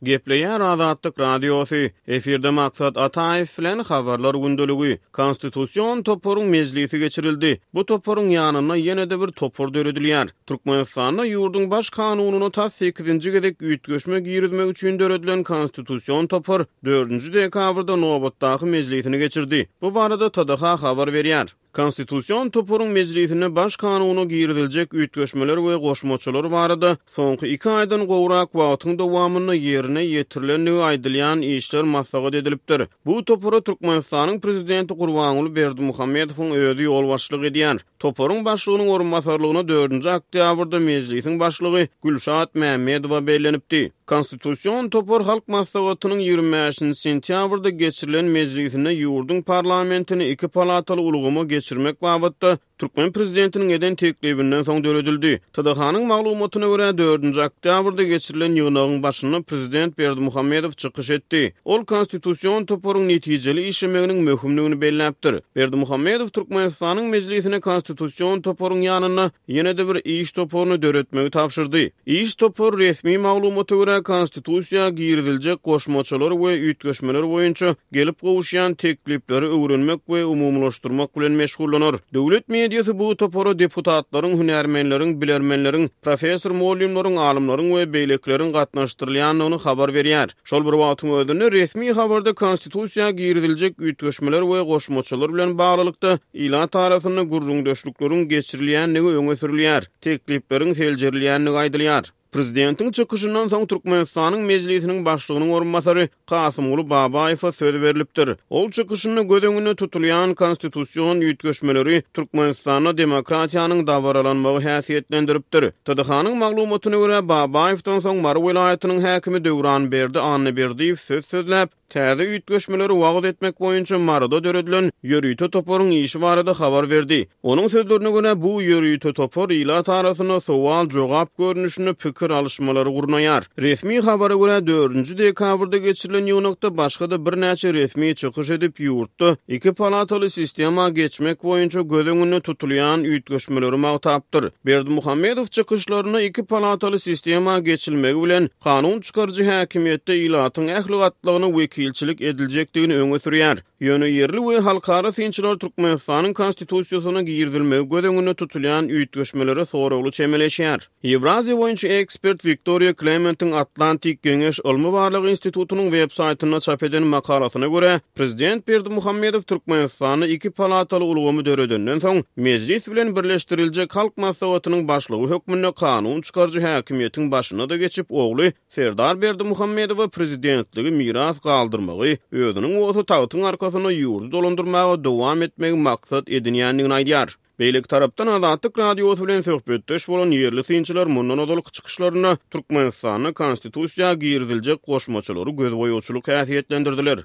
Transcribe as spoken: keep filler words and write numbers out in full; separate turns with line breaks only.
Gepleýär Azatlyk Radiosy. Efirde Maksat Ataýew bilen Habarlar gündeligi. Konstitusion toparyň mejlisi geçirildi. Bu toparyň ýanynda ýene-de bir topar döredilýär. Türkmenistanda ýurduň baş kanunyna tas sekizinji gezek üýtgeşme girizmek üçin döredilen Konstitusion topar dördünji dekabrda nobatdaky mejlisini geçirdi. Bu barada T D H habar berýär. Konstitusion toparyň mejlisinde baş kanuna giriziljek üýtgeşmeler we goşmaçalar barada soňky iki aýdan gowrak wagtyň dowamynda ýerine ýetirilendigi aýdylýan işler maslahat edilipdir. Bu topara Türkmenistanyň prezidenti Gurbanguly Berdimuhamedowyň özi ýolbaşçylyk edýär. Toparyň başlygynyň orunbasarlygyna dördünji oktýabrda mejlisiň başlygy Gülşat Mämmedowa bellenipdi. Konstitusion topar Halk Maslahatynyň ýigrimi bäşinji sentýabrda geçirilen mejlisinde ýurduň parlamentini iki palataly ulgama geçirmek babatda türkmen prezidentiniň eden teklibinden soň döredildi. T D H-nyň maglumatyna görä, dördünji oktýabrda geçirilen ýygnagyň başynda prezident Berdimuhamedow çykyş etdi. Ol konstitusion toparyň netijeli işlemeginiň möhümligini belläpdir. Berdimuhamedow Türkmenistanyň mejlisine konstitusion toparyň ýanynda ýene-de bir iş toparyny döretmegi tabşyrdy. Iş topary resmi maglumata görä konstitusiýa giriziljek goşmaçalar we üýtgeşmeler boýunça gelip gowuşýan teklipleri öwrenmek we umumylaşdyrmak bilen meşgullanar. Döwlet mediasy bu topara deputatlaryň, hünärmenleriň, bilermenleriň, professor mugallymlaryň, alymlaryň we beýlekileriň gatnaşdyrylýandygyny habar berýär. Şol bir wagtyň özünde resmi habarda konstitusiýa giriziljek üýtgeşmeler we goşmaçalar bilen baglylykda ilat arasynda gürrüňdeşlikleriň geçirilýändigi öňe sürülýär. Teklipleriň seljerilýändigi aýdylýar. Prezidentiň çykyşyndan soň Türkmenistanyň mejlisiniň başlygynyň orunbasary Kasymguly Babaýewe söz berlipdir. Ol çykyşynda göz öňünde tutulýan konstitusion üýtgeşmeleri Türkmenistanda demokratiýanyň dabaralanmagy häsiýetlendiripdir. T D H-nyň maglumatyna görä Babaýewden soň Mary welaýatynyň häkimi Döwranberdi Annaberdiýew söz sözläp, täze üýtgeşmeleri wagyz etmek boýunça Maryda döredilen ýörite toparyň işi barada habar berdi. Onuň sözlerine görä bu ýörite topar ilat arasynda sowal-jogap görnüşinde pikir alyşmalary gurnaýar. Resmi habara görä dördünji dekabrda geçirilen ýygnakda başga-da birnäçe resmi çykyş edip ýurtda iki palataly sistema geçmek boýunça göz öňünde tutulýan üýtgeşmeleri magtapdyr. Berdimuhamedow çykyşlarynda iki palataly sistema geçilmegi bilen kanun çykaryjy häkimiýetde ilatyň ähli gatlagyna wekilçilik ediljekdigini öňe sürýär. Ýöne ýerli we halkara synçylar Türkmenistanyň konstitusiýasyna girizilmegi göz öňünde tutulýan üýtgeşmelere soragly çemeleşýär. Ýewraziýa boýunça ekspert Wiktoriýa Klementiň Atlantik Geňeş Ylmy Barlag institutynyň web saýtynda çap eden makalasyna görä, prezident Berdimuhamedow Türkmenistanda iki palataly ulgamy döredenden soň mejlis bilen birleşdiriljek Halk Maslahatynyň başlygy hökmünde kanun çykaryjy häkimiýetiň başyna da geçip, ogly Serdar Berdimuhamedowa prezidentligi miras galdyrmagy, özüniň bolsa tagtyň arkasynda ýurdy dolandyrmaga dowam etmegi maksat edinýändigini aýdýar. Beýleki tarapdan Azatlyk Radiosy bilen söhbetdeş bolan ýerli synçylar mundan ozalky çykyşlarynda Türkmenistanda konstitusiýa giriziljek goşmaçalary gözboýagçylyk häsiýetlendirdiler.